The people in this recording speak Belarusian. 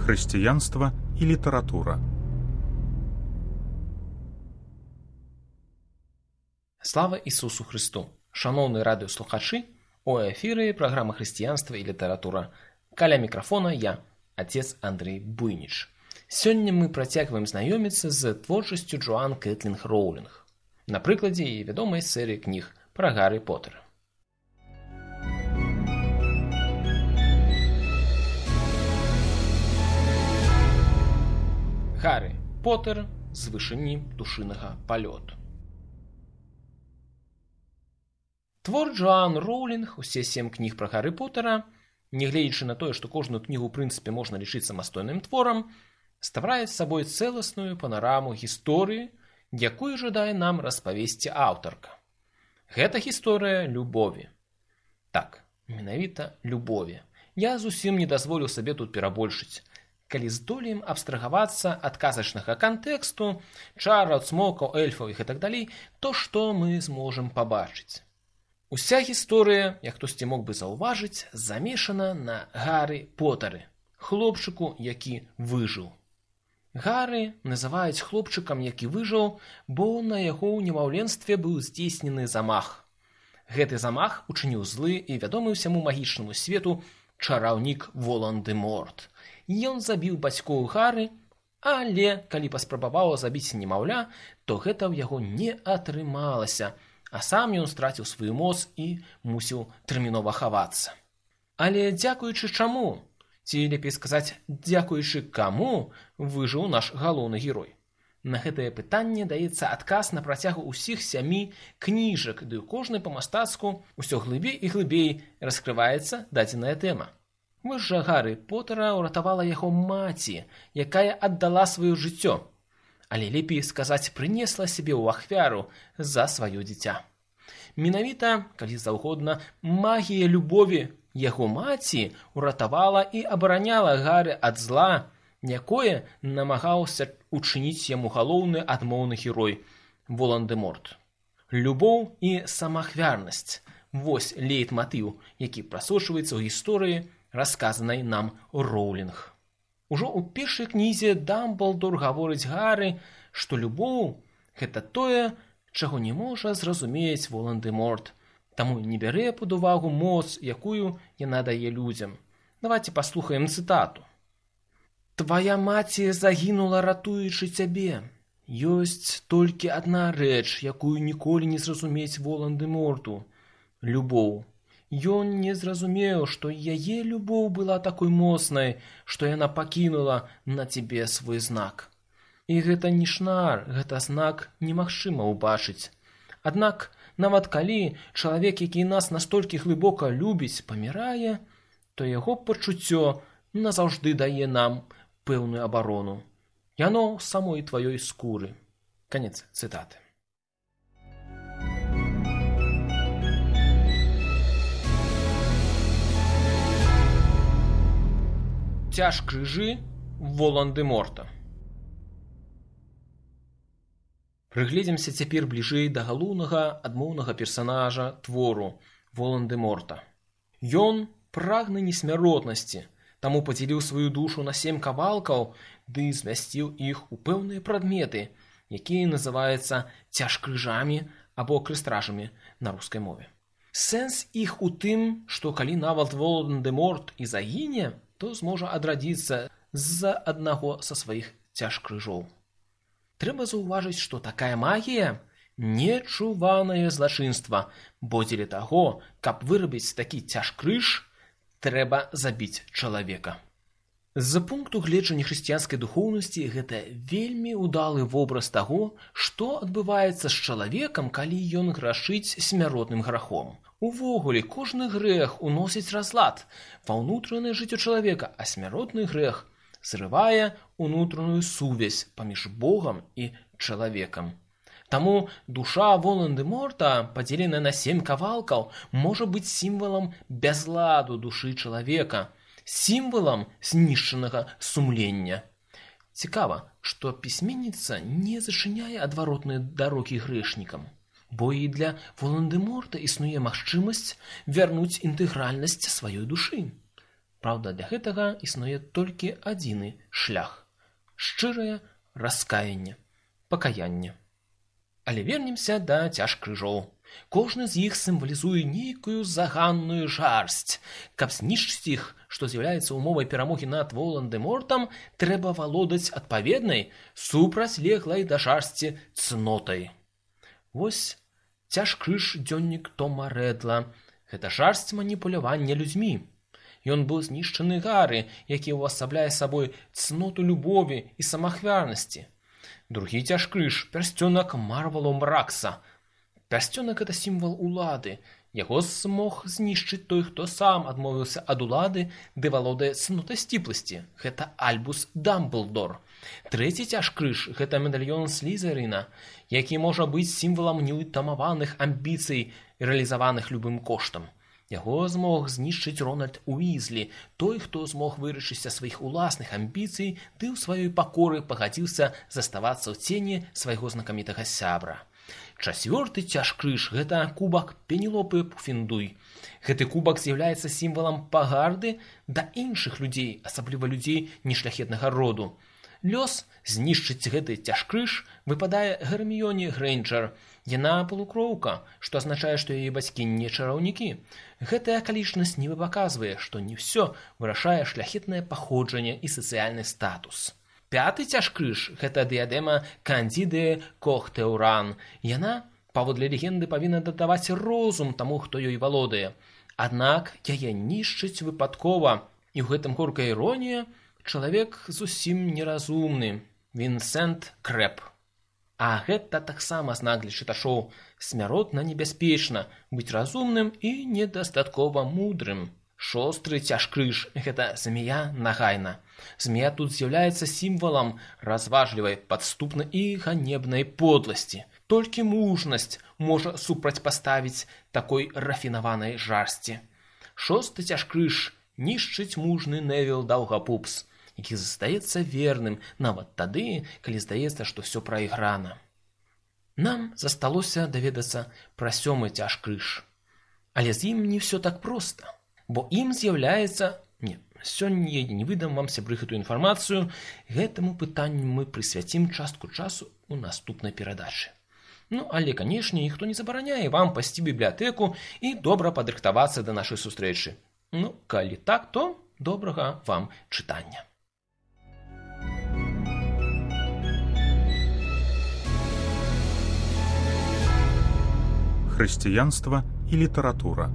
Хрысціянства і літаратура. Слава Ісусу Христу! Шановні радыёслухачы, у эфіры праграма «Хрысціянства і літаратура». Каля мікрафона я, отец Андрей Буйніч. Сёння мы працягваем знаёміцца з творчасцю Джоан Кэтлін Роўлінг на прыкладзе яе вядомай серыі кніг пра Гаррі Поттера. Гаррі Поттер з вышыні птушынага палёту. Твор Джоан Роўлінг, усе 7 кніг пра Гаррі Поттера, нягледзячы на тое, што кожную кнігу ў прынцыпе можна лічыць самастойным творам, ставляе сабой цэласную панараму гісторыі, якую жадае нам распавесці аўтарка. Гэта гісторыя любові. Так, менавіта любові. Я зусім не дазволіў сабе тут перабольшыць. Калі здолеем абстрагавацца ад казачнага кантэксту, чараў, цмокаў, эльфаў і гэтак далей, то што мы зможам пабачыць? Уся гісторыя, як хтосьці мог бы заўважыць, замешана на Гаррі Поттары, хлопчыку, які выжыў. Гаррі называюць хлопчыкам, які выжыў, бо на яго ў немаўленстве быў здзейснены замах. Гэты замах учыніў злы і вядомы ўсяму магічнаму свету чараўнік Волан-дэ-Морт. Ён забіў бацькоў Гаррі, але калі паспрабаваў забіць немаўля, то гэта ў яго не атрымалася, а сам ён страціў сваю моц і мусіў тэрмінова хавацца. Але дзякуючы чаму, ці лепей сказаць, дзякуючы каму выжыў наш галоўны герой? На гэтае пытанне даецца адказ на працягу ўсіх 7 кніжак, ды ў кожнай па-мастацку ўсё глыбей і глыбей раскрываецца дадзеная тэма. Вось жа Гаррі Поттера ўратавала яго маці, якая аддала сваё жыццё, але лепей сказаць, прынесла сябе ў ахвяру за сваё дзіця. Менавіта, калі заўгодна, магія любові яго маці ўратавала і абараняла Гаррі ад зла, якое намагаўся учыніць яму галоўны адмоўны герой Волан-дэ-Морт. Любоў і самаахвярнасць – вось лейтматыў, які прасочваецца ў гісторыі, расказанай нам Роўлінг. Ужо ў першай кнізе Дамблдор гаворыць Гаррі, што любоў – гэта тое, чаго не можа зразумець Волан-дэ-Морт, таму не бярэ пад увагу моц, якую яна дае людзям. Давайце паслухаем цытату. «Твая маці загінула, ратуючы цябе. Ёсць толькі адна рэч, якую ніколі не зразумець Волан-дэ-Морту – любоў. Ён не зразумеў, што яе любоў была такой моцнай, што яна пакінула на цябе свой знак. І гэта не шнар, гэта знак немагчыма ўбачыць. Аднак, нават калі чалавек, які нас настолькі глыбока любіць, памірае, то яго пачуццё назаўжды дае нам пэўную абарону. Яно з самой тваёй скуры». Канец цытаты. Цяж крыжы Волан-дэ-Морта. Прыгледзімся цяпер бліжэй да галоўнага адмоўнага персанажа твору Волан-дэ-Морта. Ён прагны несмяротнасці, таму падзяліў сваю душу на 7 кавалкаў ды змясціў іх у пэўныя прадметы, якія называюцца цяжкрыжамі або крыстражамі на рускай мове. Сэнс іх у тым, што калі нават Волан-дэ-Морт і загіне, то зможа адрадзіцца з-за аднаго са сваіх цяжкрыжоў. Трэба заўважыць, што такая магія – нечуванае злачынства, бо дзеля таго, каб вырабіць такі цяжкрыж, трэба забіць чалавека. З пункту гледжання хрысціянскай духоўнасці гэта вельмі ўдалы вобраз таго, што адбываецца з чалавекам, калі ён грашыць смяротным грахом. Увогуле, кожны грэх уносіць разлад ва ўнутранае жыццё чалавека, а смяротны грэх зрывае ўнутраную сувязь паміж Богам і чалавекам. Таму душа Волан-дэ-Морта, падзеленая на 7 кавалкаў, можа быць сімвалам бязладу душы чалавека, сімвалам знішчанага сумлення. Цікава, што пісьменніца не зачыняе адваротныя дарогі грэшнікам, бо і для Волан-дэ-Морта існуе магчымасць вярнуць інтэгральнасць сваёй душы. Праўда, для гэтага існуе толькі адзіны шлях – шчырае раскаянне, пакаянне. Але вернемся да цяжкрыжоў. Кожны з іх сімвалізуе нейкую заганную жарсць. Каб знішчыць іх, што з'яўляецца умовай перамогі над Волан-дэ-Мортам, трэба валодаць адпаведнай, супрацьлеглай да жарсці цнотай. Вось цяжкрыж дзённік Тома Рэдла. Гэта жарсць маніпулявання людзьмі. Ён быў знішчаны Гары, які ўвасабляе сабой цноту любові і самаахвярнасці. Другі цяжкрыж – пярсцёнак Марвалу Мракса. Пярсцёнак – гэта сімвал улады. Яго змог знішчыць той, хто сам адмовіўся ад улады, ды валодае цнотай сціпласці. Гэта Альбус Дамблдор. Трэці цяжкрыж – гэта медальён Слізерына, які можа быць сімвалам неўтамаваных амбіцый, рэалізаваных любым коштам. Яго змог знішчыць Рональд Уізлі, той, хто змог вырашыць са сваіх уласных амбіцый, ды ў сваёй пакоры пагадзіўся заставацца ў цені свайго знакамітага сябра. Чацвёрты цяжкрыж – гэта кубак Пенелопы Пуфендуй. Гэты кубак з'яўляецца сімвалам пагарды да іншых людзей, асабліва людзей нешляхетнага роду. Лёс знішчыць гэты цяжкрыж выпадае Герміёне Грэйнджер. Яна полукроўка, што азначае, што яе бацькі не чараўнікі. Гэтая акалічнасць нібы паказвае, што не ўсё вырашае шляхетнае паходжанне і сацыяльны статус. Пяты цяжкрыж – гэта дыядэма Кандзіды Кохтэўран. Яна, паводле легенды, павінна дадаваць розум таму, хто ёй валодае. Аднак яе нішчыць выпадкова, і ў гэтым горкая іронія – чалавек зусім неразумны, Вінсент Крэп. А гэта таксама знак для чытачоў. Смяротна небяспечна быць разумным і недастаткова мудрым. Шосты цяжкрыж – гэта змея Нагайна. Змея тут з'яўляецца сімвалам разважлівай, падступнай і ганебнай подласці. Толькі мужнасць можа супрацьпаставіць такой рафінаванай жарсці. Шосты цяжкрыж – нішчыць мужны Невіл Даўгапупс, які застаецца верным нават тады, калі здаецца, што ўсё прайграна. Нам засталося даведацца пра сёмы цяжкрыж. Але з ім не ўсё так проста, бо ім з'яўляецца... Сёння я не выдам вам, сябры, гэтую інфармацыю. Гэтаму пытанню мы прысвяцім частку часу ў наступнай перадачы. Але, канешне, ніхто не забараняе вам пайсці ў бібліятэку і добра падрыхтавацца да нашай сустрэчы. Калі так, то добрага вам чытання. Хрысціянства і літаратура.